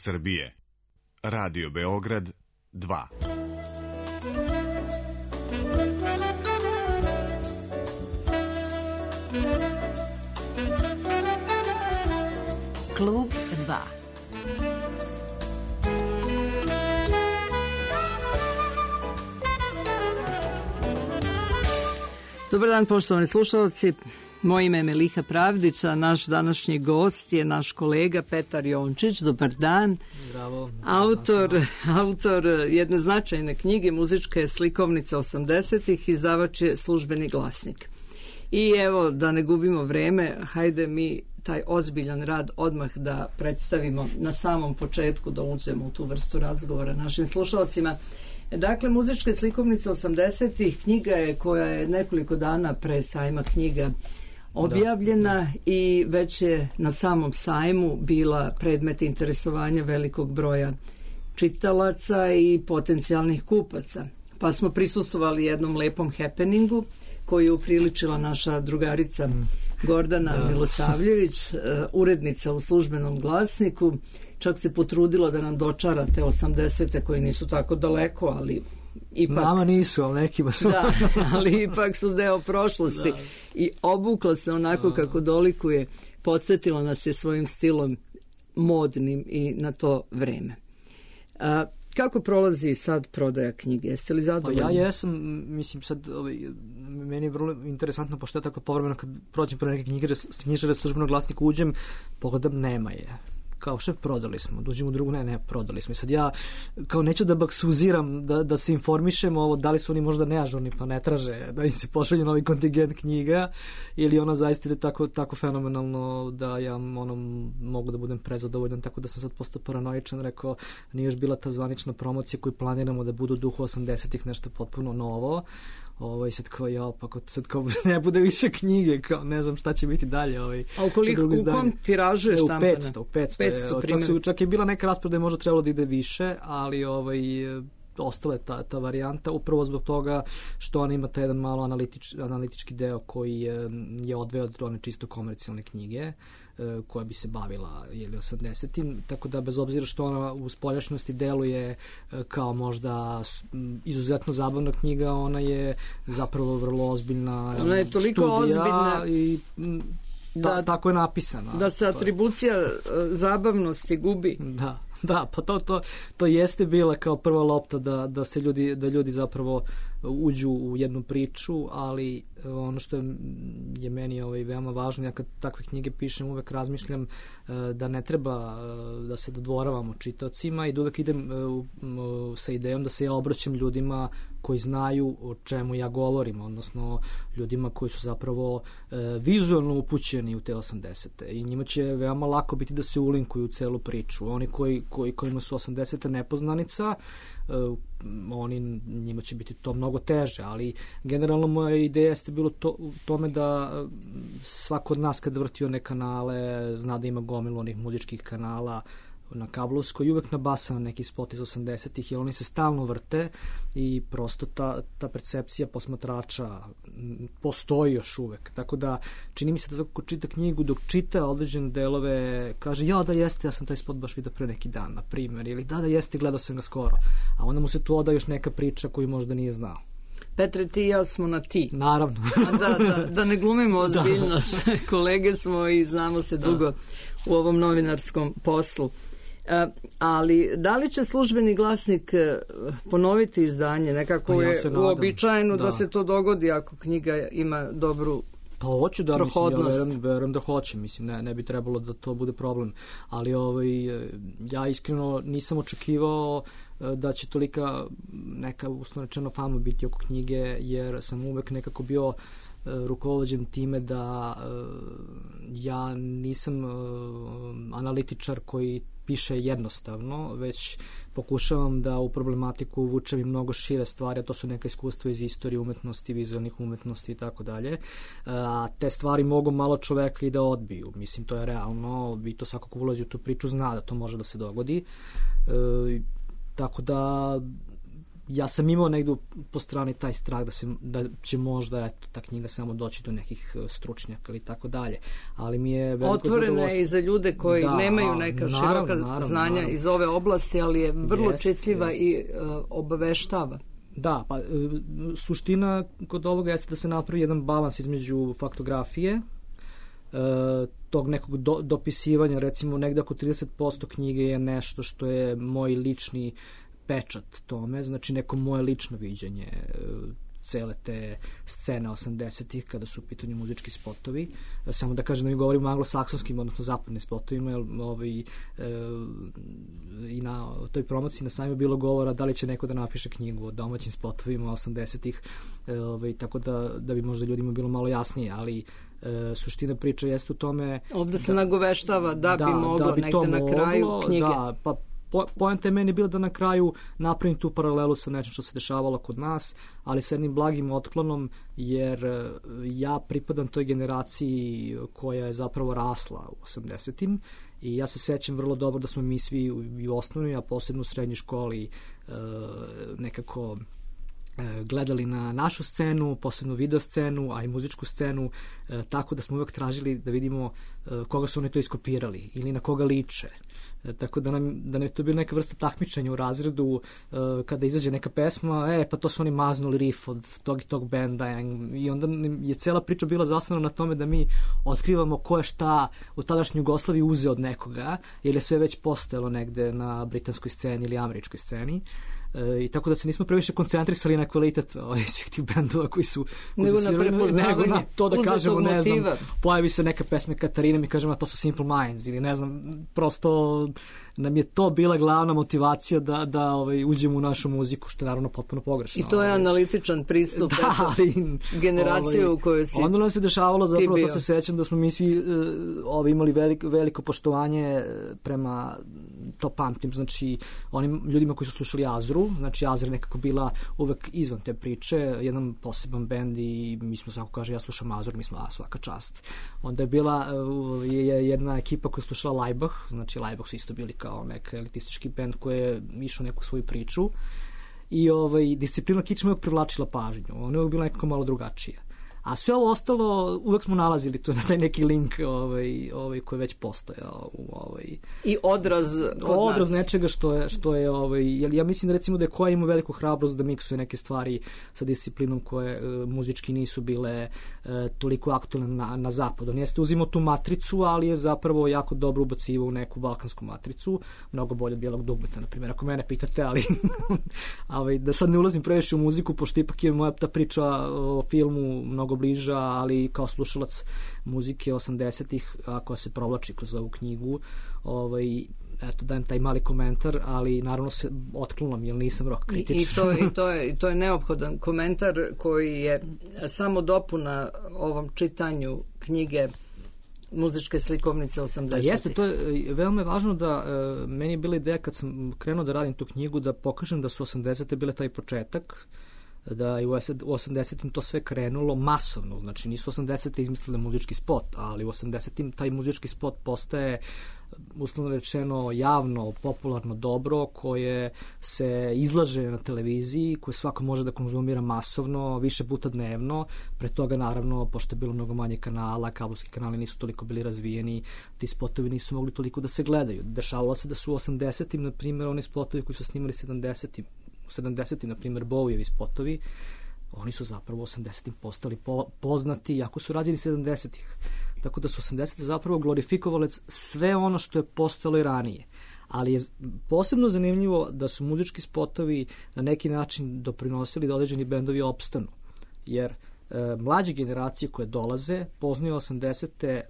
Srbije. Radio Beograd 2. Klub 2. Dobar dan, poštovani slušalci. Moje ime je Meliha Pravdić, a naš današnji gost je naš kolega Petar Jončić. Dobar dan. Bravo. Autor jedne značajne knjige, muzičke slikovnice 80-ih, izdavač je Službeni glasnik. I evo, da ne gubimo vreme, hajde mi taj ozbiljan rad odmah da predstavimo na samom početku, da uđemo u tu vrstu razgovora našim slušalcima. Dakle, muzičke slikovnice 80-ih, knjiga je koja je nekoliko dana pre sajma knjiga objavljena i već je na samom sajmu bila predmet interesovanja velikog broja čitalaca i potencijalnih kupaca. Pa smo prisustvovali jednom lepom happeningu koji je upriličila naša drugarica Gordana Milosavljević, urednica u Službenom glasniku. Čak se potrudila da nam dočara te 80-te koji nisu tako daleko, ali ipak... Nama nisu, ali nekima su. Da, ali ipak su deo prošlosti. Da. I obukla se onako kako dolikuje, podsjetila nas je svojim stilom modnim i na to vreme. Kako prolazi sad prodaja knjige? Jeste li zadovoljni? Pa ja jesam, mislim sad, meni je vrlo interesantno, pošto ja tako povremeno kad prođem pro neke knjižare Službenog glasnika uđem, pogledam, nema je. Kao šef, prodali smo, dođemo u drugu, ne, prodali smo. I sad ja, kao neću da baksuziram, da se informišem ovo, da li su oni možda neažurni, pa ne traže da im se pošalje novi kontingent knjiga, ili ona zaista ide tako fenomenalno da ja mogu da budem prezadovoljan, tako da sam sad postao paranoičan, rekao, nije još bila ta zvanična promocija koju planiramo da budu u duhu 80-ih, nešto potpuno novo. Sad kao ne bude više knjige, kao ne znam šta će biti dalje. A u kom tiražu je štampana? U 500. Čak je bila neka rasprodaja, možda trebalo da ide više, ali ostala je ta varijanta, upravo zbog toga što ona ima taj jedan malo analitički deo koji je odveo od one čisto komercijalne knjige koja bi se bavila 80-im, tako da bez obzira što ona u spoljašnjosti deluje kao možda izuzetno zabavna knjiga, ona je zapravo vrlo ozbiljna ona je toliko studija ozbiljna i tako je napisana. Da se atribucija zabavnosti gubi. Da, pa to jeste bila kao prva lopta da ljudi zapravo uđu u jednu priču, ali ono što je meni veoma važno, ja kad takve knjige pišem uvek razmišljam da ne treba da se dodvoravamo čitaocima i da uvek idem sa idejom da se ja obraćam ljudima koji znaju o čemu ja govorim, odnosno ljudima koji su zapravo vizualno upućeni u te 80-te i njima će veoma lako biti da se ulinkuju u celu priču. Oni kojima su 80-te nepoznanica, njima će biti to mnogo teže, ali generalno moja ideja jeste bilo u tome da svako od nas kad vrti one kanale zna da ima gomilu onih muzičkih kanala na kablovskoj i uvek nabasa na neki spot iz 80-ih, jer oni se stalno vrte i prosto ta percepcija posmatrača postoji još uvek. Tako da čini mi se da svako ko čita knjigu, dok čita određene delove, kaže ja da jeste, ja sam taj spot baš vidio pre neki dan, na primjer, ili da jeste, gledao sam ga skoro. A onda mu se tu oda još neka priča koju možda nije znao. Petre, ti i ja smo na ti. Naravno. Da ne glumimo ozbiljnost. Kolege smo i znamo se dugo u ovom novinarskom poslu. Ali da li će Službeni glasnik ponoviti izdanje? Nekako je uobičajeno da se to dogodi ako knjiga ima dobru hoću da, prohodnost. Mislim, verujem da hoće, mislim, ne bi trebalo da to bude problem, ali ja iskreno nisam očekivao da će tolika neka uslovno rečeno fama biti oko knjige, jer sam uvek nekako bio rukovođen time da ja nisam analitičar koji piše jednostavno, već pokušavam da u problematiku uvučem i mnogo šire stvari, a to su neka iskustva iz istorije umetnosti, vizualnih umetnosti i tako dalje. A te stvari mogu malo čoveka i da odbiju. Mislim, to je realno, i to svako ko ulazi u tu priču zna da to može da se dogodi. Tako da ja sam imao negdje po strani taj strah da će možda ta knjiga samo doći do nekih stručnjaka ili tako dalje. Ali mi je otvorena je i za ljude koji nemaju neka široka znanja iz ove oblasti, ali je vrlo čitljiva i obaveštava. Da, pa suština kod ovoga jeste da se napravi jedan balans između faktografije, tog nekog dopisivanja, recimo negde oko 30% knjige je nešto što je moj lični pečat tome, znači neko moje lično viđenje cele te scene 80-ih kada su u pitanju muzički spotovi. Samo da kažem da mi govorimo o anglosaksonskim, odnosno zapadnim spotovima, jer i na toj promociji na sajmu bilo govora da li će neko da napiše knjigu o domaćim spotovima 80-ih, tako da bi možda ljudima bilo malo jasnije, ali suština priče jeste u tome... Ovde se nagoveštava da bi moglo negde na kraju knjige. Da, pa poenta je meni bila da na kraju napravim tu paralelu sa nečim što se dešavalo kod nas, ali sa jednim blagim otklonom, jer ja pripadam toj generaciji koja je zapravo rasla u 80-im i ja se sećam vrlo dobro da smo mi svi u osnovnoj, a posebno u srednjoj školi nekako gledali na našu scenu, posebno video scenu, a i muzičku scenu, tako da smo uvek tražili da vidimo koga su oni to iskopirali ili na koga liče. Tako da nam je to bila neka vrsta takmičenja u razredu kada izađe neka pesma, pa to su oni maznuli riff od tog i tog benda i onda je cela priča bila zasnovana na tome da mi otkrivamo ko je šta u tadašnjoj Jugoslaviji uzeo od nekoga, jer je sve već postojalo negde na britanskoj sceni ili američkoj sceni. I tako da se nismo previše koncentrisali na kvalitet svih tih bendova koji su nego na prepoznavanje to da kažemo, ne znam, motiva. Pojavi se neka pesma Katarina, mi kažemo to su Simple Minds ili ne znam, prosto nam je to bila glavna motivacija da uđemo u našu muziku, što je naravno potpuno pogrešno. I to je analitičan pristup generacije u kojoj si onda nam se dešavalo, zapravo to se sećam da smo mi svi imali veliko poštovanje prema, to pamtim, znači onim ljudima koji su slušali Azru, znači Azra nekako bila uvek izvan te priče, jedan poseban bend i mi smo, svako kaže, ja slušam Azru, mi smo svaka čast. Onda je bila jedna ekipa koja je slušala Laibach, znači Laibach su isto bili kao neki elitistički bend koji je išao neku svoju priču i disciplina kičma uvek privlačila pažnju. Ona je uvek bila nekako malo drugačija. A sve ovo ostalo, uvek smo nalazili tu na taj neki link koji je već postojao. I odraz nečega što je ja mislim da recimo da je Koja ima veliku hrabrost da miksuje neke stvari sa disciplinom koje muzički nisu bile toliko aktualne na zapadu. On jeste uzimao tu matricu, ali je zapravo jako dobro ubacivao u neku balkansku matricu, mnogo bolje od Bijelog dugmeta, na primjer, ako mene pitate, ali da sad ne ulazim previše u muziku, pošto ipak je moja ta priča o filmu mnogo bliža, ali kao slušalac muzike 80-ih, koja se provlači kroz ovu knjigu, eto, dajem taj mali komentar, ali naravno se otklonom, jer nisam rock kritičar. I to je neophodan komentar koji je samo dopuna ovom čitanju knjige Muzičke slikovnice 80-ih. Da, jeste, to je veoma važno da meni je bila ideja kad sam krenuo da radim tu knjigu da pokažem da su 80-te bile taj početak, da je u 80-im to sve krenulo masovno, znači nisu 80-te izmislile muzički spot, ali u 80-im taj muzički spot postaje uslovno rečeno javno, popularno dobro koje se izlaže na televiziji, koje svako može da konzumira masovno, više puta dnevno. Pre toga naravno, pošto je bilo mnogo manje kanala, kablovski kanali nisu toliko bili razvijeni, ti spotovi nisu mogli toliko da se gledaju. Dešavalo se da su u 80-im, na primjer, oni spotovi koji su snimali 70-im, na primjer, Bowievi spotovi, oni su zapravo u 80-im postali poznati, iako su rađeni 70-ih. Tako da su 80-te zapravo glorifikovali sve ono što je postojalo i ranije. Ali je posebno zanimljivo da su muzički spotovi na neki način doprinosili da određeni bendovi opstanu. Jer mlađe generacije koje dolaze poznaju 80-te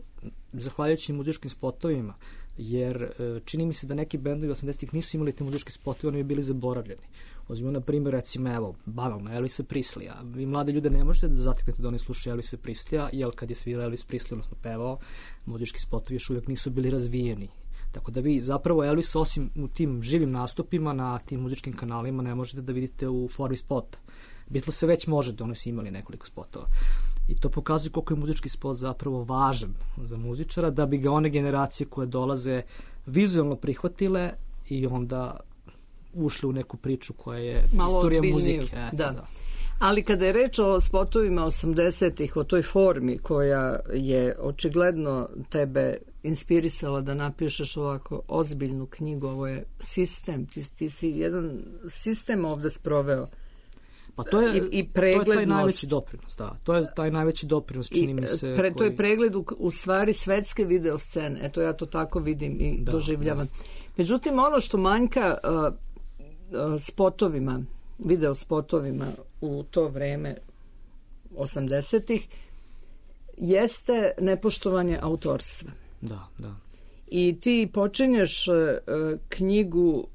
zahvaljujući muzičkim spotovima, jer čini mi se da neki bendovi 80-ih nisu imali te muzičke spotove, oni bi bili zaboravljeni. Uzmimo na primjer, recimo, evo, banalno, Elvisa Prisleya. Vi mlade ljude ne možete da zateknete da oni slušaju Elvisa Prisleya, jer kad je svirao Elvis Presley, odnosno pevao, muzički spotovi još uvijek nisu bili razvijeni. Tako da vi zapravo Elvis, osim u tim živim nastupima na tim muzičkim kanalima, ne možete da vidite u formi spota. Beatles se već može da oni su imali nekoliko spotova. I to pokazuje koliko je muzički spot zapravo važan za muzičara, da bi ga one generacije koje dolaze vizualno prihvatile i onda ušli u neku priču koja je malo istorija ozbiljniju. muzike. Da. Ali kada je reč o spotovima 80-ih, o toj formi koja je očigledno tebe inspirisala da napišeš ovako ozbiljnu knjigu, ovo je sistem, ti si jedan sistem ovde sproveo. Pa to je, i preglednost. To je taj najveći doprinos, da. To je taj najveći doprinos, čini mi se. To je pregled u stvari svetske video scene. Eto, ja to tako vidim i doživljavam. Da. Međutim, ono što manjka spotovima, video spotovima u to vreme 80-ih jeste nepoštovanje autorstva. Da, da. I ti počinješ knjigu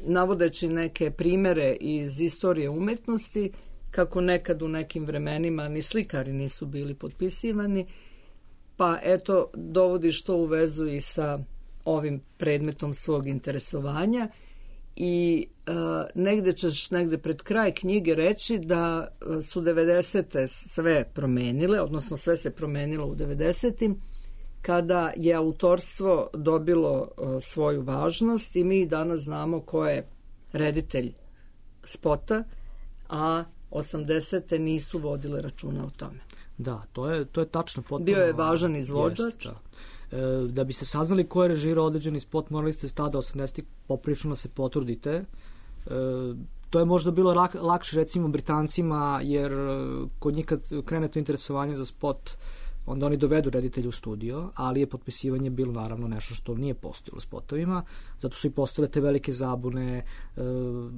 navodeći neke primere iz istorije umetnosti, kako nekad u nekim vremenima ni slikari nisu bili potpisivani, pa eto, dovodiš to u vezu i sa ovim predmetom svog interesovanja i negde pred kraj knjige reći da su 90. sve promenile, odnosno sve se promenilo u 90. kada je autorstvo dobilo svoju važnost i mi danas znamo ko je reditelj spota, a 80. nisu vodile računa o tome. Da, to je tačno potpuno. Bio je važan izvođač. Da biste saznali ko je režirao određeni spot, morali ste tada 80. poprično da se potrudite. To je možda bilo lakše recimo Britancima, jer kod njih kad krene to interesovanje za spot, onda oni dovedu reditelja u studio, ali je potpisivanje bilo naravno nešto što nije postojalo u spotovima, zato su i postojale te velike zabune.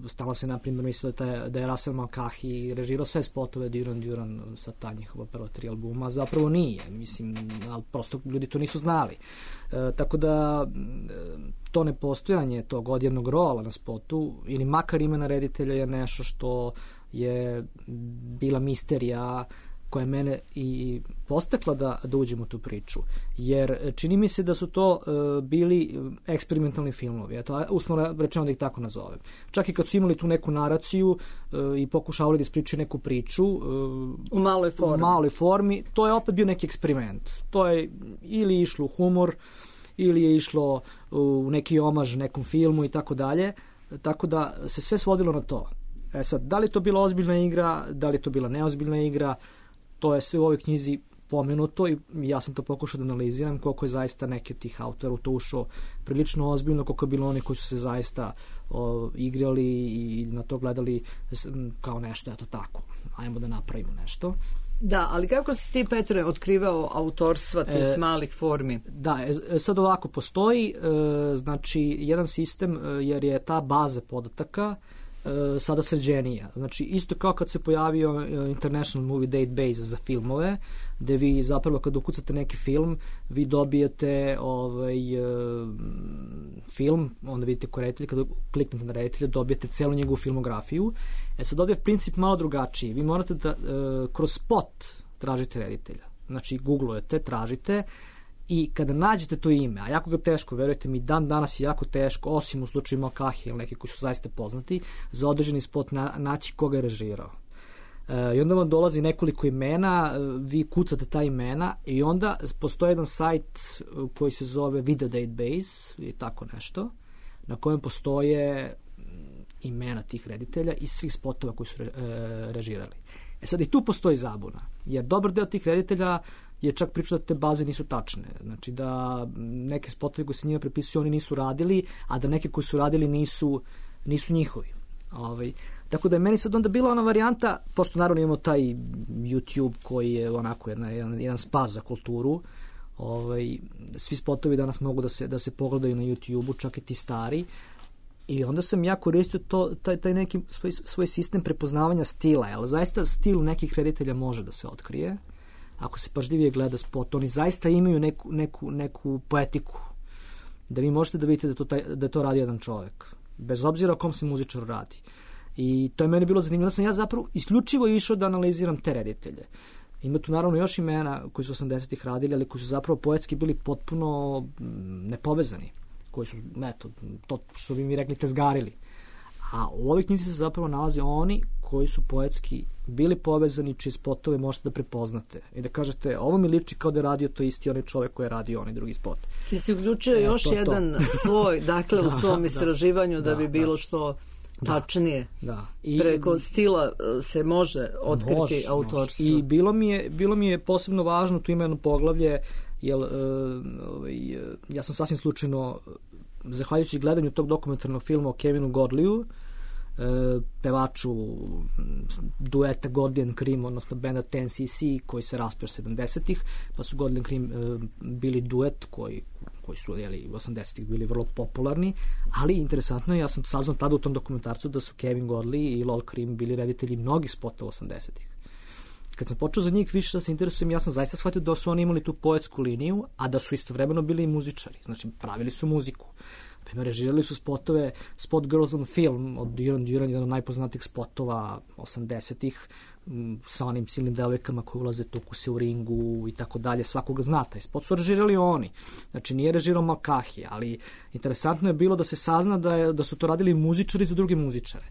Stalno se na primjer mislilo da je Russell Mulcahy režirao sve spotove Duran Duran sa ta njihova prva 3 albuma, zapravo nije, mislim, ali prosto ljudi to nisu znali. Tako da to nepostojanje tog odjevnog rola na spotu ili makar imena reditelja je nešto što je bila misterija koja je mene i postakla da uđem u tu priču. Jer čini mi se da su to bili eksperimentalni filmovi. Eto, uslovno rečeno da ih tako nazovem. Čak i kad su imali tu neku naraciju i pokušavali da ispričaju neku priču u maloj formi, to je opet bio neki eksperiment. To je ili išlo u humor, ili je išlo u neki omaž nekom filmu i tako dalje. Tako da se sve svodilo na to. Sad, da li to bila ozbiljna igra, da li to bila neozbiljna igra, to je sve u ovoj knjizi pomenuto i ja sam to pokušao da analiziram koliko je zaista neki od tih autora u to ušao prilično ozbiljno, koliko je bilo oni koji su se zaista igrali i na to gledali kao nešto, eto tako, ajmo da napravimo nešto. Da, ali kako si ti, Petre, otkrivao autorstva tih malih formi? Da, sad ovako postoji, znači, jedan sistem, jer je ta baza podataka sada sređenija. Znači, isto kao kad se pojavio International Movie Database za filmove, gde vi zapravo kad ukucate neki film, vi dobijete film, onda vidite ko reditelj, kada kliknete na reditelja, dobijete celu njegovu filmografiju. Sad ovdje je princip malo drugačiji. Vi morate da kroz spot tražite reditelja. Znači, googlujete, tražite, i kada nađete to ime, a jako ga teško, verujte mi, dan danas je jako teško, osim u slučaju Mulcahy ili neki koji su zaista poznati, za određeni spot naći koga je režirao. I onda vam dolazi nekoliko imena, vi kucate ta imena i onda postoji jedan sajt koji se zove Video Database i tako nešto, na kojem postoje imena tih reditelja i svih spotova koji su režirali. Sad i tu postoji zabuna, jer dobar deo tih reditelja je čak pričao da te baze nisu tačne. Znači da neke spotove koje se njima prepisuju oni nisu radili, a da neke koji su radili nisu njihovi. Tako da je meni sad onda bila ona varijanta, pošto naravno imamo taj YouTube koji je onako jedan spas za kulturu, svi spotovi danas mogu da se pogledaju na YouTube-u, čak i ti stari, i onda sam ja koristio taj neki svoj sistem prepoznavanja stila, jer zaista stil nekih reditelja može da se otkrije. Ako se pažljivije gleda spot, oni zaista imaju neku poetiku, da vi možete da vidite da je to radi jedan čovjek, bez obzira o kom se muzičar radi. I to je meni bilo zanimljivo. Ja zapravo isključivo išao da analiziram te reditelje. Ima tu naravno još imena koji su 80-ih radili, ali koji su zapravo poetski bili potpuno nepovezani, koji su, eto, to što bi mi rekli, tezgarili. A u ovoj knjizi se zapravo nalaze oni koji su poetski bili povezani, čije spotove možete da prepoznate i da kažete, ovo mi liči kao da je radio to isti onaj čovek koji je radio onaj drugi spot. Ti si uključio još jedan sloj, dakle, u svom istraživanju da bi bilo što tačnije. I preko stila se može otkriti autorstvo. I bilo mi je posebno važno, tu ima jedno poglavlje, jer ja sam sasvim slučajno, zahvaljujući gledanju tog dokumentarnog filma o Kevinu Godleyu, pevaču dueta Godley and Cream, odnosno benda 10cc koji se raspao 70-ih, pa su Godley and Cream bili duet koji su u 80-ih bili vrlo popularni, ali interesantno je, ja sam saznao tada u tom dokumentarcu da su Kevin Godley i Lol Cream bili reditelji mnogih spotova 80-ih. Kad sam počeo za njih više da se interesujem, ja sam zaista shvatio da su oni imali tu poetsku liniju, a da su istovremeno bili i muzičari, znači pravili su muziku. Režirali su spotove, Spot Girls on Film od Duran Duran, jedan od najpoznatijih spotova 80-ih, sa onim silnim devojkama koji ulaze, tuku se u ringu i tako dalje, svakoga zna taj spot su režirali oni. Znači nije režirao Malkahi, ali interesantno je bilo da se sazna da su to radili muzičari za druge muzičare.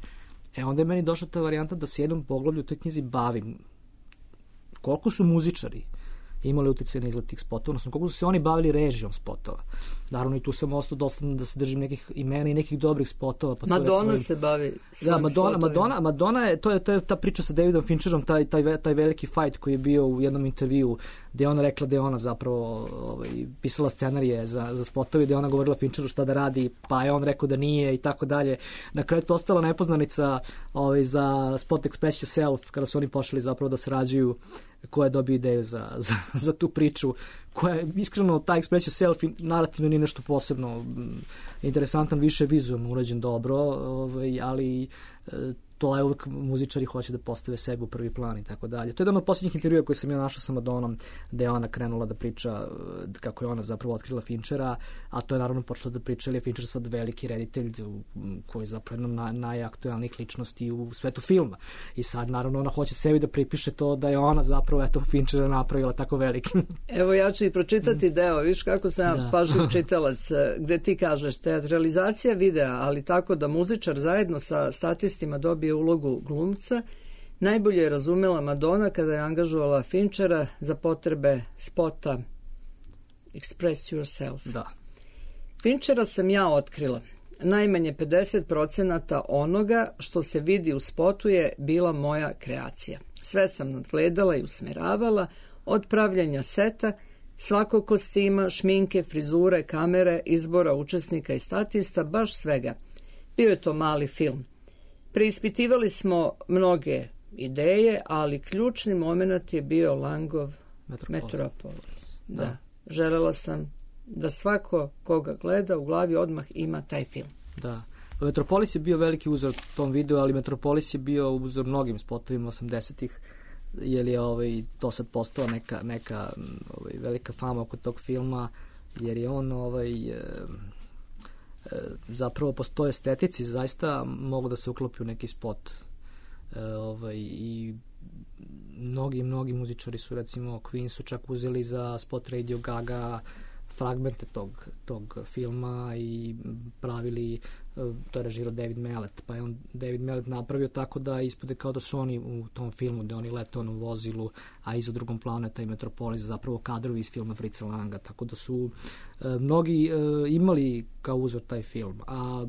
Onda je meni došla ta varijanta da se jednom poglavlju u toj knjizi bavim koliko su muzičari imali utjecaj na izgled tih spotova, odnosno koliko su se oni bavili režijom spotova. Naravno i tu sam ostao dosta da se držim nekih imena i nekih dobrih spotova. Pa Madonna se bavi svojim spotovima. Madonna je, to je ta priča sa Davidom Fincherom, taj veliki fight koji je bio u jednom intervju gde je ona rekla da je ona zapravo pisala scenarije za spotove, gde je ona govorila Fincheru šta da radi, pa je on rekao da nije i tako dalje. Na kraju je ostala nepoznanica za spot Express Yourself, kada su oni pošli zapravo da sarađuju, ko je dobio ideju za tu priču, koja je iskreno, ta Express Yourself narativno nije nešto posebno interesantan, više vizualno urađen dobro, ali to je uvek muzičari hoće da postave sebe u prvi plan i tako dalje. To je jedan od posljednjih intervjua koje sam ja našao sa Madonnom, gde je ona krenula da priča kako je ona zapravo otkrila Finchera, a to je naravno počela da priča, ali je Fincher sad veliki reditelj koji je zapravo jedna najaktualnijih ličnosti u svetu filma. I sad naravno ona hoće sebi da pripiše to da je ona zapravo Finchera napravila tako veliki. Evo ja ću i pročitati deo, viš kako sam pažljiv čitalac, gde ti kažeš teatralizacija videa, ali tako da muzičar zajedno sa statistima dobije ulogu glumca, najbolje je razumela Madonna kada je angažovala Finchera za potrebe spota Express Yourself. Da. Finchera sam ja otkrila. Najmanje 50% onoga što se vidi u spotu je bila moja kreacija. Sve sam nadgledala i usmeravala, od pravljenja seta, svakog kostima, šminke, frizure, kamere, izbora učesnika i statista, baš svega. Bio je to mali film. Preispitivali smo mnoge ideje, ali ključni moment je bio Langov Metropolis. Da. Želela sam da svako koga gleda u glavi odmah ima taj film. Da. Metropolis je bio veliki uzor tom videu, ali Metropolis je bio uzor mnogim spotovima 80-ih, jer je to sad postala neka velika fama oko tog filma, jer je on zapravo po toj estetici zaista mogu da se uklopi u neki spot. I mnogi muzičari su, recimo Queen su čak uzeli za spot Radio Gaga fragmente tog filma i pravili, to je režirao David Mallet, pa je on David Mallet napravio tako da ispade kao da su oni u tom filmu, da oni lete u vozilu, a iza drugom planu je taj Metropolis, zapravo kadrovi iz filma Fritza Langa, tako da su mnogi imali kao uzor taj film. A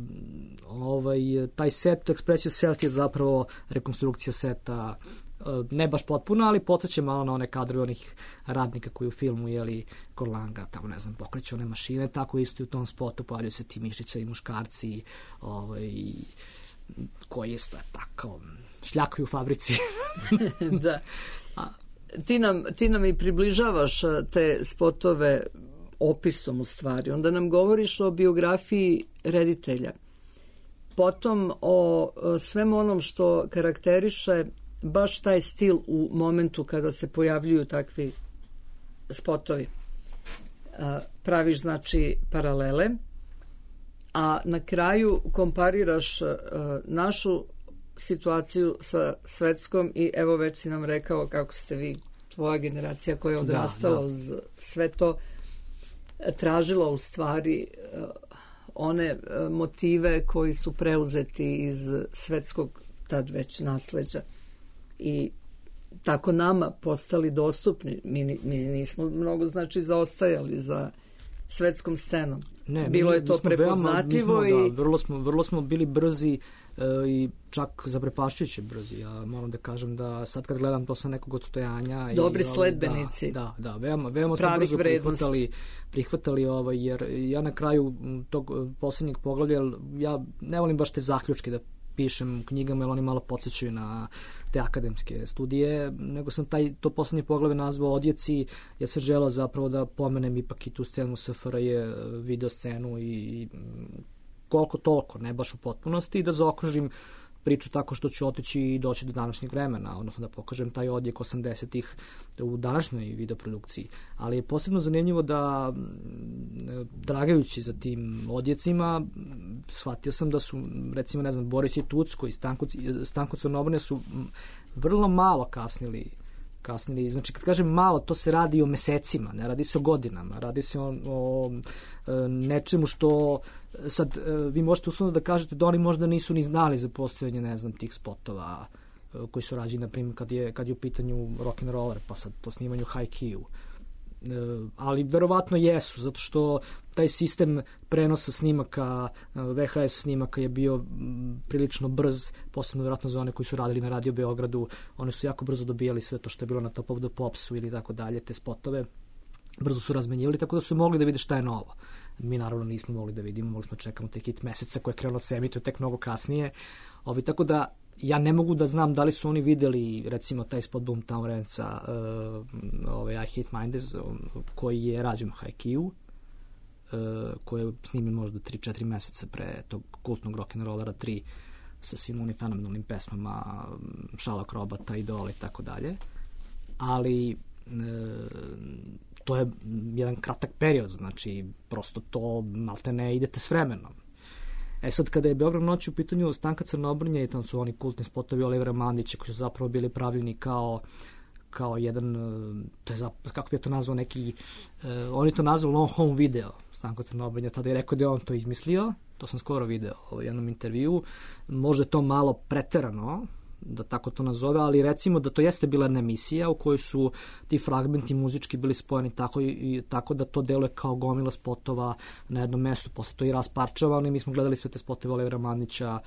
taj set Express Yourself je zapravo rekonstrukcija seta, ne baš potpuno, ali podsjeća malo na one kadrove onih radnika koji u filmu kod Langa, tamo ne znam, pokreću one mašine, tako isto i u tom spotu pojavljaju se ti mišića i muškarci koji isto tako šljakaju u fabrici. Da. Ti nam i približavaš te spotove opisom u stvari. Onda nam govoriš o biografiji reditelja. Potom o svemu onom što karakteriše baš taj stil u momentu kada se pojavljuju takvi spotovi. Praviš znači paralele, a na kraju kompariraš našu situaciju sa svetskom i evo već si nam rekao kako ste vi, tvoja generacija koja je odrastala uz sve to, tražila u stvari one motive koji su preuzeti iz svetskog tad već nasleđa. I tako nama postali dostupni. Mi nismo mnogo zaostajali za svetskom scenom. Bilo je to prepoznatljivo i vrlo smo bili brzi i čak zaprepašćujuće brzi. Ja moram da kažem da sad kad gledam to sa nekog odstojanja dobri sledbenici. Da, veoma smo brzo prihvatali jer ja na kraju tog poslednjeg poglavlja, ja ne volim baš te zaključke da pišem u knjigama, jer oni malo podsjećaju na te akademske studije, nego sam to poslednje poglavlje nazvao Odjeci. Ja sam želeo zapravo da pomenem ipak i tu scenu SFRJ, video scenu i koliko toliko, ne baš u potpunosti, i da zaokružim priču tako što ću otići i doći do današnjeg vremena, odnosno da pokažem taj odjek 80-ih u današnjoj videoprodukciji. Ali je posebno zanimljivo da, dragajući za tim odjecima, shvatio sam da su, recimo, Boris i Tucko i Stanko Crnobrnja su vrlo malo kasnili. Znači, kad kažem malo, to se radi o mesecima, ne radi se o godinama, radi se o nečemu što sad vi možete uslovno da kažete da oni možda nisu ni znali za postojanje, tih spotova koji su rađeni, na primjer, kad je u pitanju rock'n'roller, pa sad to snimanju Haikyuu. Ali verovatno jesu, zato što taj sistem prenosa snimaka, VHS snimaka je bio prilično brz, posebno verovatno za one koji su radili na Radio Beogradu. Oni su jako brzo dobijali sve to što je bilo na Top of the Popsu ili tako dalje, te spotove brzo su razmenjivali, tako da su mogli da vide šta je novo. Mi naravno nismo mogli da vidimo, mogli smo čekamo te hit meseca koje je krenulo se emituje tek mnogo kasnije. Tako da ja ne mogu da znam da li su oni videli, recimo, taj spot Boomtown Rantsa, I Hate Mondays, koji je rađen u Haikyuu, koji je snimljen možda 3-4 meseca pre tog kultnog rock'n'rollera 3 sa svim onim fenomenalnim pesmama Sherlock Robota, Idola i tako dalje. Ali to je jedan kratak period, znači prosto to malte ne idete s vremenom. Sad, kada je Beograd noć u pitanju Stanka Crnobrnja i tamo su oni kultni spotovi Olivera Mandića koji su zapravo bili pravljeni kao jedan, to je kako bi je to nazvao neki, on je to nazvao long home video, Stanko Crnobrnja, tada je rekao da je on to izmislio, to sam skoro video u jednom intervju, možda je to malo preterano, da tako to nazove, ali recimo da to jeste bila jedna emisija u kojoj su ti fragmenti muzički bili spojeni tako da to deluje kao gomila spotova na jednom mestu, posle to i rasparčavano i mi smo gledali sve te spotove Olivera Mandića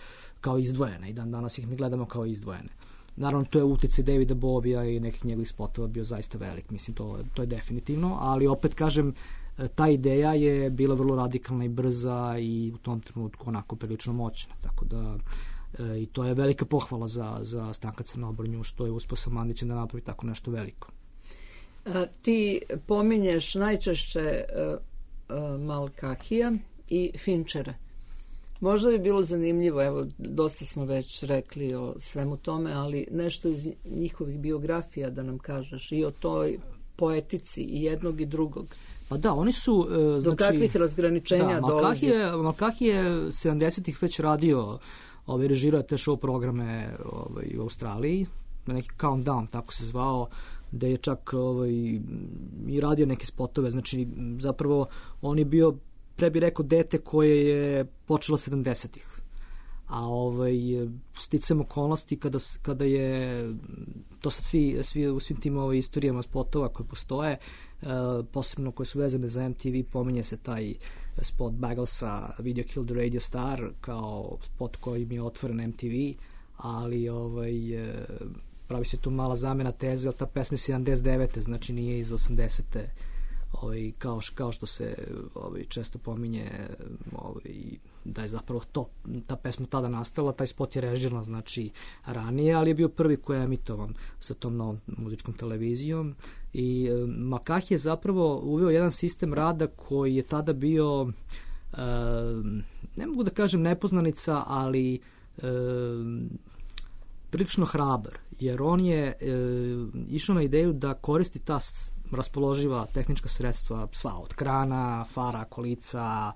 kao izdvojene i dan danas ih mi gledamo kao izdvojene. Naravno, to je uticaj Davida Bovija i nekih njegovih spotova bio zaista velik, mislim, to je definitivno, ali opet kažem, ta ideja je bila vrlo radikalna i brza i u tom trenutku onako prilično moćna, tako da i to je velika pohvala za Stanka Crnobrnju što je uspeo sa Mandićem da napravi tako nešto veliko. Ti pominješ najčešće Malkahija i Finchera. Možda bi bilo zanimljivo, evo, dosta smo već rekli o svemu tome, ali nešto iz njihovih biografija da nam kažeš i o toj poetici i jednog i drugog. Pa da, oni su... Do kakvih razgraničenja dolazi? Malkahi je 70-ih već radio, režirao te show programe u Australiji, neki Countdown, tako se zvao, da je čak i radio neke spotove, znači zapravo on je bio, pre bi rekao, dete koje je počelo 70-ih. A sticam okolnosti kada je to sad svi u svim tim istorijama spotova koje postoje, posebno koje su vezane za MTV, pominje se taj spot Bagglesa Video Killed the Radio Star kao spot koji mi je otvoren MTV, ali pravi se tu mala zamena teze, ali ta pesma je 79. znači nije iz 80. Kao što se često pominje da je zapravo ta pesma tada nastala, taj spot je režiran znači ranije, ali je bio prvi koji je emitovan sa tom novom muzičkom televizijom i Malkahi je zapravo uveo jedan sistem rada koji je tada bio ne mogu da kažem nepoznanica, ali prilično hrabar, jer on je išao na ideju da koristi ta raspoloživa tehnička sredstva, sva od krana, fara, kolica,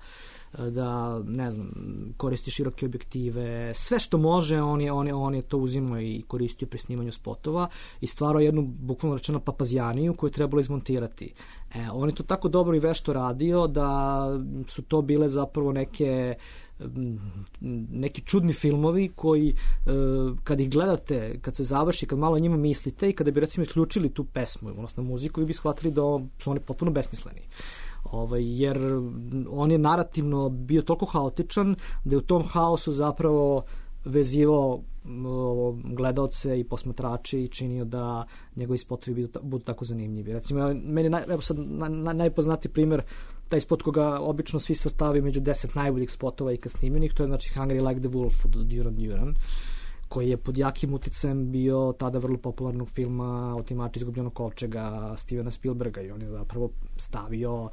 da, ne znam, koristi široke objektive, sve što može, on je to uzimao i koristio pri snimanju spotova i stvarao jednu, bukvalno rečeno, papazjaniju koju je trebalo izmontirati. On je to tako dobro i vešto radio da su to bile zapravo neke neki čudni filmovi koji kad ih gledate, kad se završi, kad malo o njima mislite i kada bi recimo isključili tu pesmu, odnosno muziku, vi bi shvatili da su oni potpuno besmisleni. Jer on je narativno bio toliko haotičan da je u tom haosu zapravo vezivao gledaoce i posmatrače i činio da njegovi spotovi budu tako zanimljivi. Recimo, meni najpoznatiji primjer, taj spot koga obično svi se ostavi među 10 najboljih spotova ikad snimljenih, to je znači Hungry Like the Wolf od Duran Duran, koji je pod jakim uticajem bio tada vrlo popularnog filma Otimači izgubljenog kovčega Stevena Spielberga, i on je zapravo stavio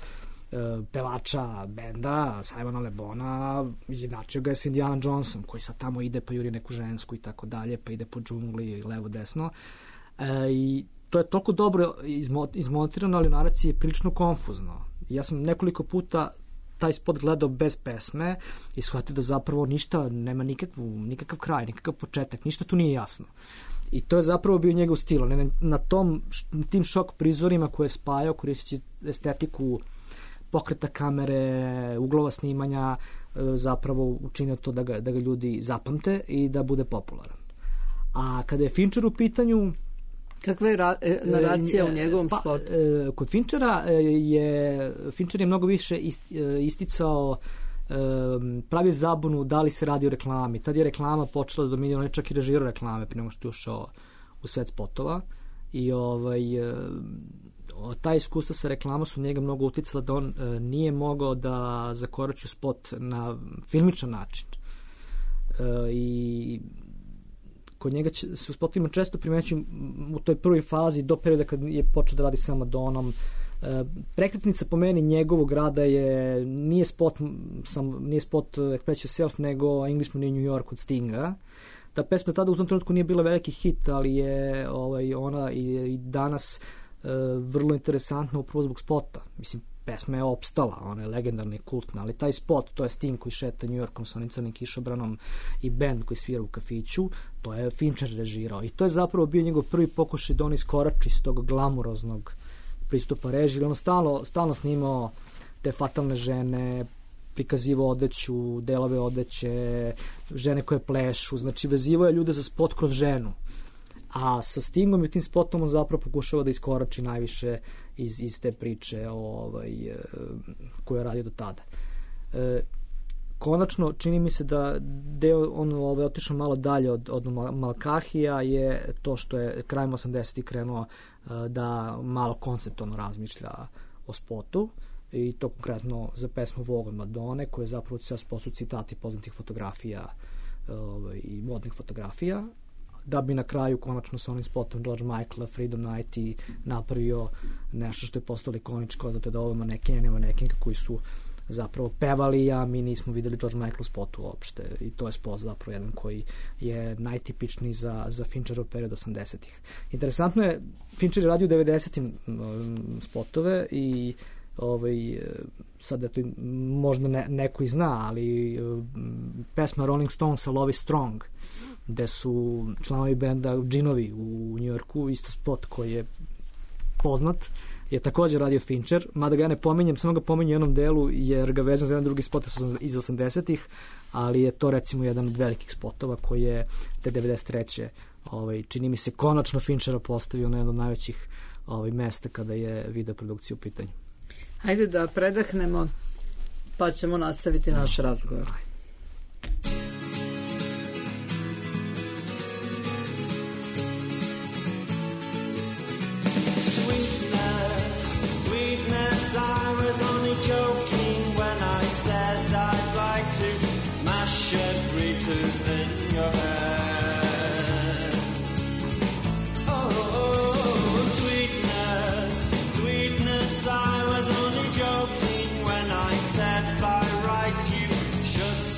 pevača benda Simona Le Bona, izjednačio ga je s Indiana Jonesom, koji sad tamo ide pa juri neku žensku i tako dalje, pa ide po džungli levo desno, i to je toliko dobro izmontirano, ali u naraciji je prilično konfuzno. Ja sam nekoliko puta taj spot gledao bez pesme i shvatio da zapravo ništa, nema nikakav kraj, nikakav početak, ništa tu nije jasno. I to je zapravo bio njegov stil. Na tim šok prizorima koje je spajao, koristeći estetiku pokreta kamere, uglova snimanja, zapravo učinio to da ga ljudi zapamte i da bude popularan. A kada je Fincher u pitanju... Kakva je naracija u njegovom spotu? Kod Fincher je mnogo više isticao, pravio zabunu da li se radi o reklami. Tad je reklama počela da dominira, on je čak i režirao reklame pre nego što je ušao u svet spotova. I ta iskustva sa reklamom su njega mnogo uticala da on nije mogao da zakorači spot na filmičan način. I kod njega se u spotovima često primećuju u toj prvoj fazi do perioda kad je počeo da radi sa Madonom. Prekretnica po meni njegovog rada nije spot Express Yourself, nego Englishman in New York od Stinga. Ta pesma tada u tom trenutku nije bila veliki hit, ali je ona i danas vrlo interesantna upravo zbog spota. Mislim, pesma je opstala, ona je legendarna i kultna, ali taj spot, to je Sting koji šeta New Yorkom sa onim crnim kišobranom i band koji svira u kafiću, to je Fincher režirao. I to je zapravo bio njegov prvi pokušaj da on iskorači iz tog glamuroznog pristupa režiji. Ono stalno snimao te fatalne žene, prikazivao odeću, delove odeće, žene koje plešu, znači vezivao je ljude za spot kroz ženu. A sa Stingom i tim spotom on zapravo pokušava da iskorači najviše iz te priče koju je radio do tada. Konačno, čini mi se da deo otišao malo dalje od Malkahija je to što je krajem 80-ih krenuo da malo konceptualno razmišlja o spotu, i to konkretno za pesmu Vogue od Madone, koja je zapravo sve spot su citati poznatih fotografija i modnih fotografija, da bi na kraju konačno sa onim spotom George Michaela, Freedom Night, i napravio nešto što je postalo ikoničko, da ovo manekenka koji su zapravo pevali, a mi nismo videli George Michael u spotu uopšte, i to je spot zapravo jedan koji je najtipičniji za Fincherov period 80-ih. Interesantno je, Fincher je radio u 90-im spotove i sad eto, možda neko i zna, ali pesma Rolling Stonesa Love is Strong, gde su članovi benda Džinovi u Njujorku, isto spot koji je poznat, je također radio Fincher, mada ga ja ne pominjem, samo ga pominjem u jednom delu jer ga vezam za jedan drugi spot iz 80-ih, ali je to recimo jedan od velikih spotova koji je te 93. Čini mi se konačno Finchera postavio na jedno od najvećih mesta kada je video produkcija u pitanju. Hajde da predahnemo, pa ćemo nastaviti naš razgovor. I was only joking when I said I'd like to smash every tooth in your head. Oh, sweetness, sweetness, I was only joking when I said by rights you should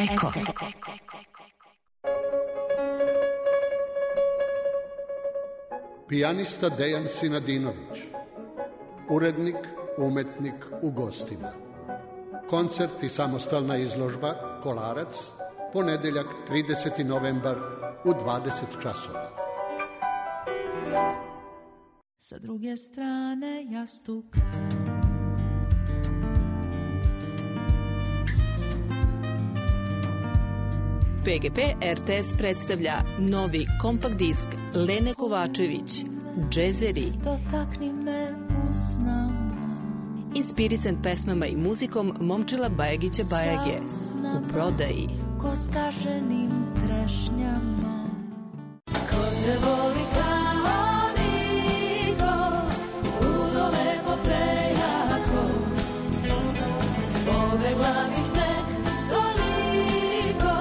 Eko. Pijanista Dejan Sinadinović, urednik, umetnik u gostima. Koncert i samostalna izložba Kolarac, ponedeljak 30. novembar u 20 časova. Sa druge strane jastuka PGP RTS predstavlja novi kompakt disk Lene Kovačević, Džezeri. Dotakni me usnama. Inspirisan pesmama i muzikom Momčila Bajagića Bajage. U prodaji. Ko skaženim trešnjama. Ko te voli kao niko, udole po prejako. Pobegla bih tek toliko,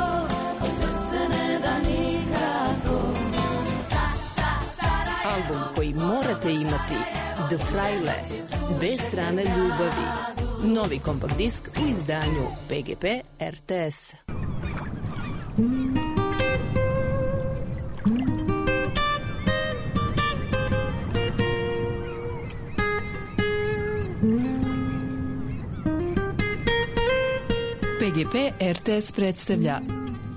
a srce ne da nikako. Album koji morate imati, The Fraile, bez strane ljubavi. Novi kompakt disk u izdanju PGP RTS. PGP RTS predstavlja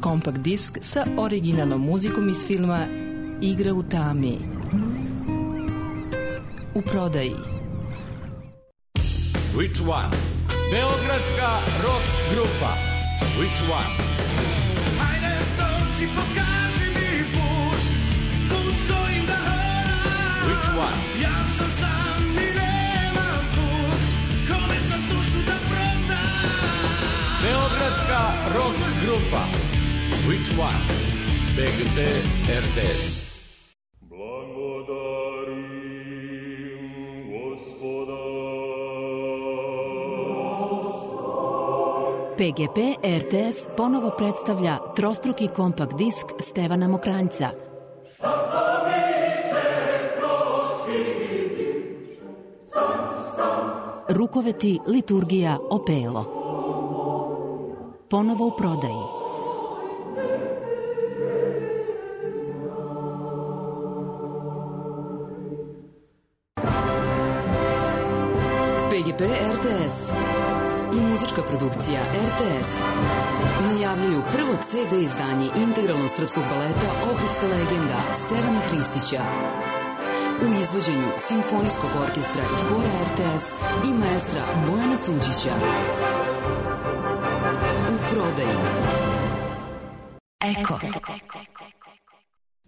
kompakt disk sa originalnom muzikom iz filma Igra u tami. U prodaji. Which one? Beogradska rock grupa. Which one? Hajde dođi, pokaži mi put, put kojim da hodam. Which one? Ja sam sam i nemam put, kome sam dušu da prodam. Beogradska rock grupa. Which one? PGP RTS. PGP RTS ponovo predstavlja trostruki kompakt disk Stevana Mokranjca. Rukoveti, liturgija, opelo. Ponovo u prodaji. PGP RTS i muzička produkcija RTS najavljuju prvo CD izdanje integralnog srpskog baleta Ohridska legenda Stevana Hristića u izvođenju Simfonijskog orkestra i hora RTS i maestra Bojana Suđića. U prodaji. Eko.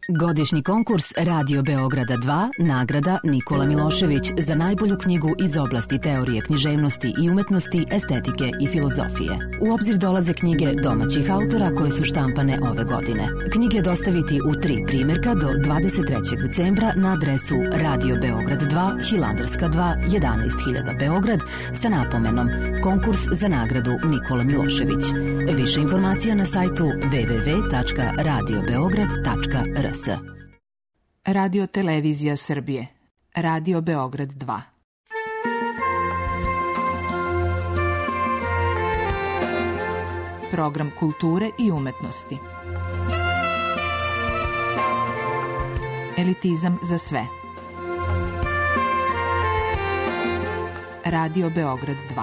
Godišnji konkurs Radio Beograda 2, nagrada Nikola Milošević za najbolju knjigu iz oblasti teorije književnosti i umetnosti, estetike i filozofije. U obzir dolaze knjige domaćih autora koje su štampane ove godine. Knjige dostaviti u 3 primjerka do 23. decembra na adresu Radio Beograd 2, Hilandarska 2, 11.000 Beograd sa napomenom Konkurs za nagradu Nikola Milošević. Više informacija na sajtu www.radiobeograd.rs. Radio Televizija Srbije. Radio Beograd 2. Program kulture i umetnosti. Elitizam za sve. Radio Beograd 2.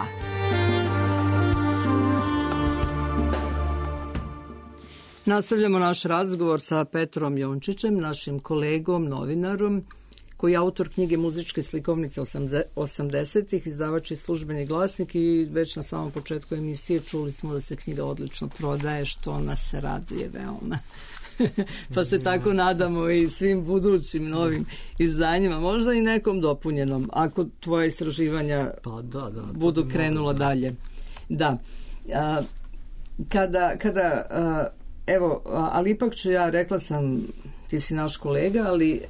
Nastavljamo naš razgovor sa Petrom Jončićem, našim kolegom, novinarom, koji je autor knjige Muzičke slikovnice 80-ih, izdavač i Službeni glasnik, i već na samom početku emisije čuli smo da se knjiga odlično prodaje, što nas se raduje veoma. Pa se tako nadamo i svim budućim novim izdanjima, možda i nekom dopunjenom, ako tvoje istraživanja budu krenula dalje. Da. Evo, ali ipak ću ja, rekla sam, ti si naš kolega, ali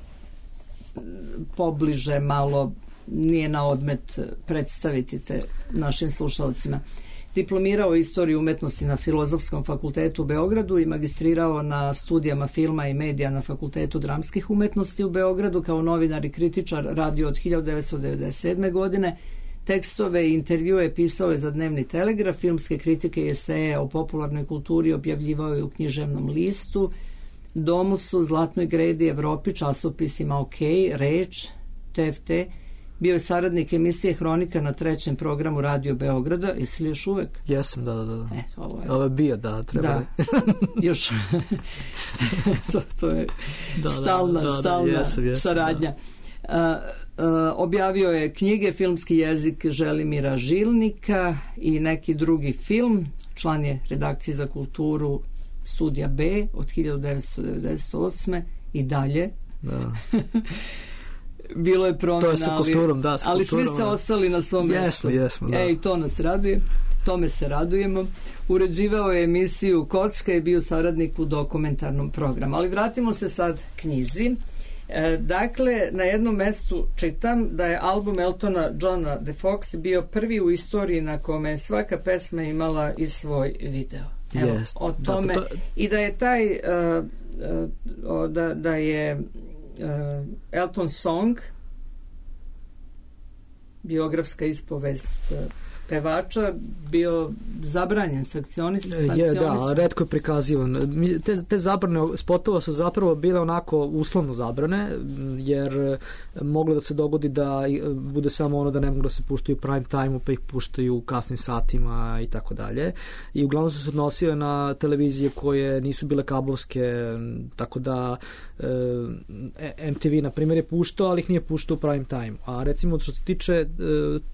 pobliže malo, nije na odmet predstaviti te našim slušalcima. Diplomirao istoriju umetnosti na Filozofskom fakultetu u Beogradu i magistrirao na studijama filma i medija na Fakultetu dramskih umetnosti u Beogradu. Kao novinar i kritičar radio od 1997. godine Tekstove i intervjue pisao je za Dnevni telegraf, filmske kritike i eseje o popularnoj kulturi objavljivao je u Književnom listu, Domusu, Zlatnoj gredi, Evropi, časopisima OK, Reč, TFT. Bio je saradnik emisije Hronika na 3. programu Radio Beograda. Jesi li još uvek? Jesam, da. Ovo je bio, da, treba. Da, još. to je stalna saradnja. Objavio je knjige, filmski jezik Želimira Žilnika i neki drugi film. Član je redakcije za kulturu Studija B od 1998. i dalje. Da. Bilo je promjena, to je sa kulturom, ali svi ste ostali na svom mjestu. Jesmo, da. I to nas raduje. Tome se radujemo. Uređivao je emisiju Kocka i bio saradnik u dokumentarnom programu. Ali vratimo se sad knjizi. Dakle, na jednom mestu čitam da je album Eltona Johna The Fox bio prvi u istoriji na kome je svaka pesma imala i svoj video. Evo, o tome. I da je taj da je Elton Song, biografska ispovest pevača, bio zabranjen, sankcionisan. Da, retko je prikazivan. Te zabrane spotova su zapravo bile onako uslovno zabrane, jer moglo da se dogodi da bude samo ono da ne mogu da se puštaju u prime time-u, pa ih puštaju u kasnim satima i tako dalje. I uglavnom su se odnosile na televizije koje nisu bile kablovske, tako da MTV, na primjer, je puštao, ali ih nije puštao u prime time. A recimo, što se tiče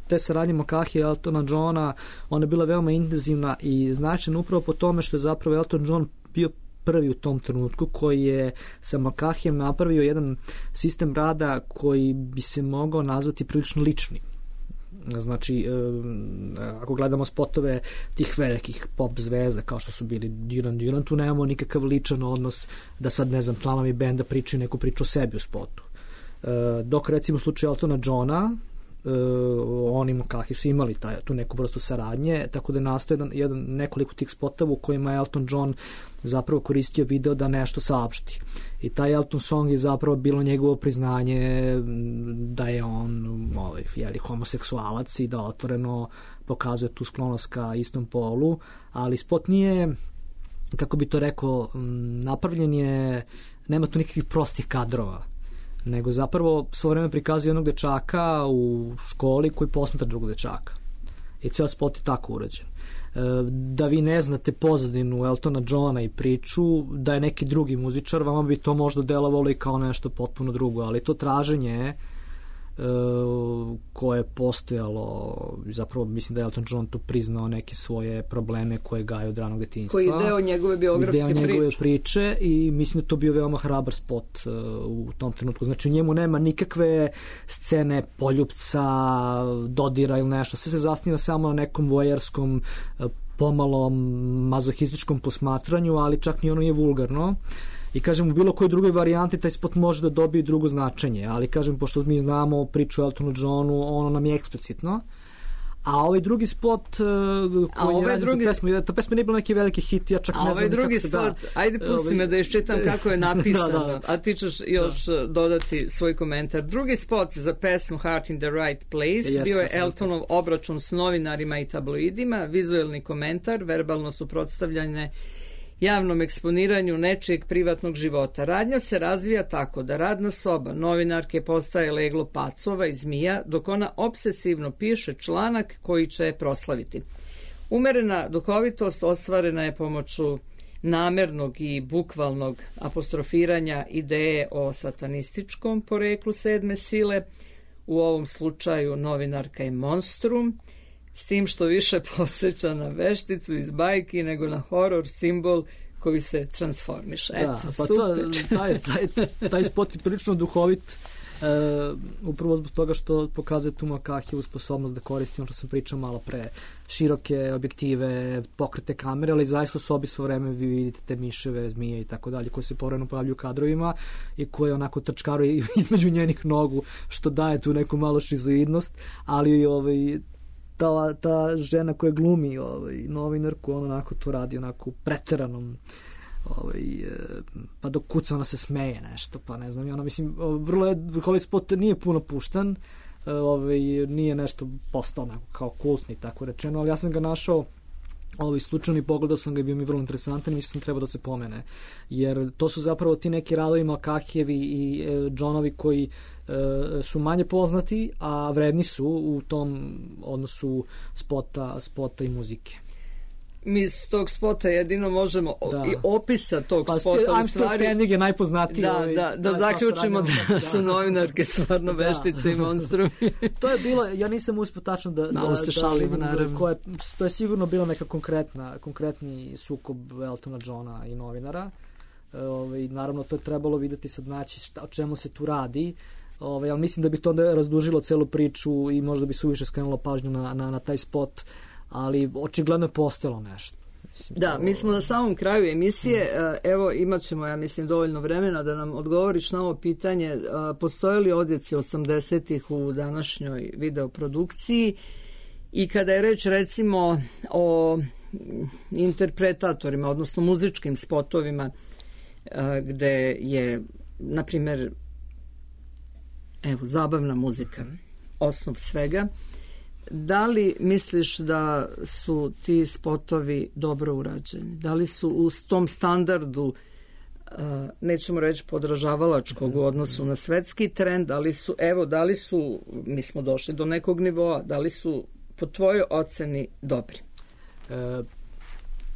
te saradnje Makahije i Eltona Johna, ona je bila veoma intenzivna i značajna upravo po tome što je zapravo Elton John bio prvi u tom trenutku koji je sa Makahijem napravio jedan sistem rada koji bi se mogao nazvati prilično lični. Znači, ako gledamo spotove tih velikih pop zvezda kao što su bili Duran, tu nemamo nikakav ličan odnos da sad, ne znam, članovi benda pričaju neku priču o sebi u spotu. Dok recimo u slučaju Eltona Johna, oni Makahi su imali tu neku vrstu saradnje, tako da je nastao nekoliko tih spotova u kojima je Elton John zapravo koristio video da nešto saopšti. I taj Elton Song je zapravo bilo njegovo priznanje da je on homoseksualac i da otvoreno pokazuje tu sklonost ka istom polu, ali spot nije, kako bi to rekao, napravljen je, nema tu nikakvih prostih kadrova, nego zapravo svo vreme prikazuje jednog dečaka u školi koji posmatra drugog dečaka. I cijel spot je tako urađen. Da vi ne znate pozadinu Eltona Johna i priču, da je neki drugi muzičar, vama bi to možda delovalo i kao nešto potpuno drugo, ali to traženje koje je postojalo, zapravo mislim da je Elton John tu priznao neke svoje probleme koje gaje od ranog detinjstva. Koji je deo njegove biografske priče i mislim da to bio veoma hrabar spot u tom trenutku. Znači u njemu nema nikakve scene poljupca, dodira ili nešto. Sve se zasniva samo na nekom vojerskom, pomalo mazohističkom posmatranju, ali čak ni ono je vulgarno. I kažem, u bilo kojoj drugoj varijanti taj spot može da dobije drugo značenje, ali kažem, pošto mi znamo priču o Eltonu Johnu, ono nam je eksplicitno. A ovaj drugi spot koji je radio za pesmu, ta pesma nije bila neki veliki hit, ja čak ne znam. A ovaj drugi spot, ajde pusti me da iščitam kako je napisano, a ti ćeš još dodati svoj komentar. Drugi spot za pesmu Heart in the Right Place bio je Eltonov obračun s novinarima i tabloidima, vizuelni komentar, verbalno suprotstavljanje javnom eksponiranju nečijeg privatnog života. Radnja se razvija tako da radna soba novinarke postaje leglo pacova i zmija, dok ona obsesivno piše članak koji će je proslaviti. Umerena duhovitost ostvarena je pomoću namernog i bukvalnog apostrofiranja ideje o satanističkom poreklu sedme sile, u ovom slučaju novinarka je monstrum, s tim što više podsjeća na vešticu iz bajki nego na horor simbol koji se transformiše. Eto, pa super. Taj spot je prilično duhovit, upravo zbog toga što pokazuje tu Makahijevu sposobnost da koristi ono što sam pričao malo pre, široke objektive, pokrete kamere, ali zaista u sobi svo vreme vi vidite te miševe, zmije i tako dalje, koje se povremeno pojavljuju u kadrovima i koje onako trčkaruje između njenih nogu, što daje tu neku malo šizoidnost, ali ta žena koja glumi novinarku, ona onako to radi onako preteranom, pa dok kuca ona se smeje nešto, pa ne znam, ona mislim, vrlo je, ovaj spot nije puno puštan, nije nešto postao onako kao kultni, tako rečeno, ali ja sam ga našao slučajno i pogledao sam ga i bio mi vrlo interesantan i mislim sam trebao da se pomene. Jer to su zapravo ti neki radovi Malkakijevi i Johnovi koji su manje poznati, a vredni su u tom odnosu spota i muzike. Mi iz tog spota jedino možemo i opisa tog spota u I'm Still stvari. Standing je najpoznatiji. Da zaključimo da su novinarke stvarno veštice i monstrumi. To je bilo, ja nisam uspio tačno malo se šalimo, naravno. To je sigurno bilo neka konkretni sukob Eltona Johna i novinara. Naravno, to je trebalo videti sad naći o čemu se tu radi. Ali mislim da bi to onda razdužilo celu priču i možda bi se uviše skrenulo pažnju na taj spot, ali očigledno je postojalo nešto. Da, mi smo na samom kraju emisije, evo imat ćemo, ja mislim, dovoljno vremena da nam odgovoriš na ovo pitanje, postoje li odjeci 80-ih u današnjoj videoprodukciji i kada je reč recimo o interpretatorima, odnosno muzičkim spotovima, gde je, na primjer, zabavna muzika, osnov svega, da li misliš da su ti spotovi dobro urađeni? Da li su u tom standardu, nećemo reći podražavalačkog u odnosu na svetski trend, da li su, mi smo došli do nekog nivoa, da li su po tvojoj oceni dobri?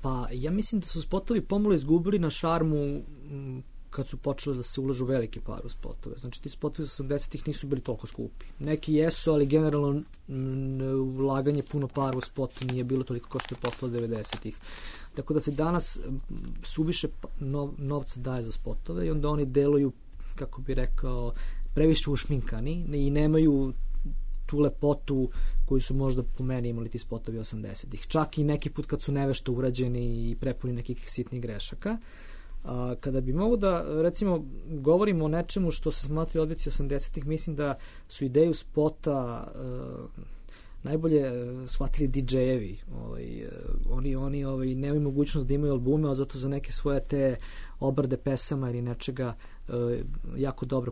Pa ja mislim da su spotovi pomalo izgubili na šarmu kad su počeli da se ulažu velike pare u spotove. Znači, ti spotovi iz 80-ih nisu bili toliko skupi. Neki jesu, ali generalno ulaganje puno para u spot nije bilo toliko kao što je posle 90-ih. Tako da se danas suviše novca daje za spotove i onda oni deluju, kako bi rekao, previše ušminkani i nemaju tu lepotu koju su možda po meni imali ti spotovi 80-ih. Čak i neki put kad su nevešto urađeni i prepuni nekih sitnih grešaka. Kada bi mogo da, recimo, govorimo o nečemu što se smatra odjeci 80-ih, mislim da su ideju spota najbolje shvatili DJ-evi. Oni nemaju mogućnost da imaju albume, a zato za neke svoje te obrade pesama ili nečega jako dobro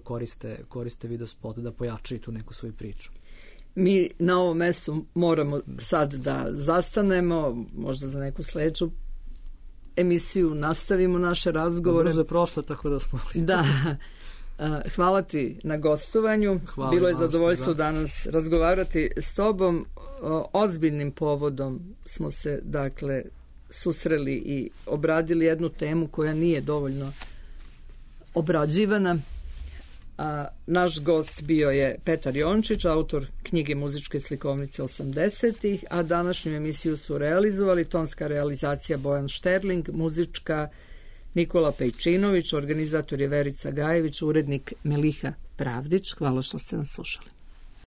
koriste video spot da pojačaju tu neku svoju priču. Mi na ovom mestu moramo sad da zastanemo, možda za neku sledeću emisiju nastavimo naše razgovore. Brzo je prošlo, tako da smo... Da. Hvala ti na gostovanju. Bilo je zadovoljstvo danas razgovarati s tobom. Ozbiljnim povodom smo se, dakle, susreli i obradili jednu temu koja nije dovoljno obrađivana. Naš gost bio je Petar Jončić, autor knjige Muzičke slikovnice 80-ih, a današnju emisiju su realizovali tonska realizacija Bojan Šterling, muzička Nikola Pejčinović, organizator je Verica Gajević, urednik Meliha Pravdić. Hvala što ste nas slušali.